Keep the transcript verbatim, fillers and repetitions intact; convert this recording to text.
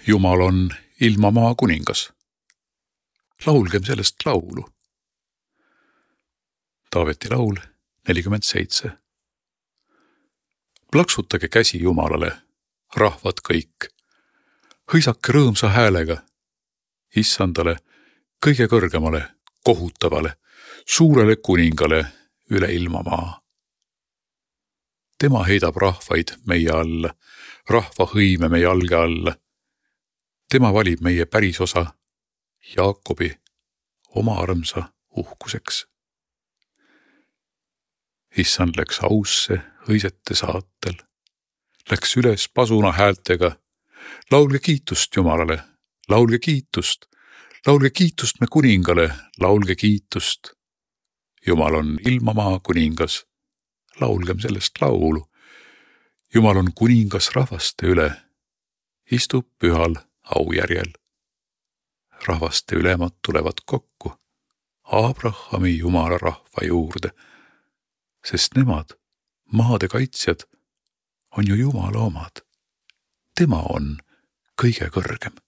Jumal on ilmamaa kuningas. Laulgem sellest laulu. Taaveti laul nelikümmend seitse. Plaksutage käsi Jumalale, rahvad kõik. Hõisake rõõmsa häälega, Issandale, kõige kõrgemale, kohutavale, suurele kuningale üle ilmamaa. Tema heidab rahvaid meie alla, rahva hõime meie jalge alla. Tema valib meie pärisosa, Jaakobi, oma armsa uhkuseks. Issand läks ausse hõisete saatel, läks üles pasuna häältega. Laulge kiitust Jumalale, laulge kiitust, laulge kiitust me kuningale, laulge kiitust. Jumal on ilmamaa kuningas, laulgem sellest laulu. Jumal on kuningas rahvaste üle, istub pühal aujärjel. Rahvaste ülemad tulevad kokku Abrahami Jumala rahva juurde, sest nemad, maade kaitsjad, on ju Jumala omad. Tema on kõige kõrgem.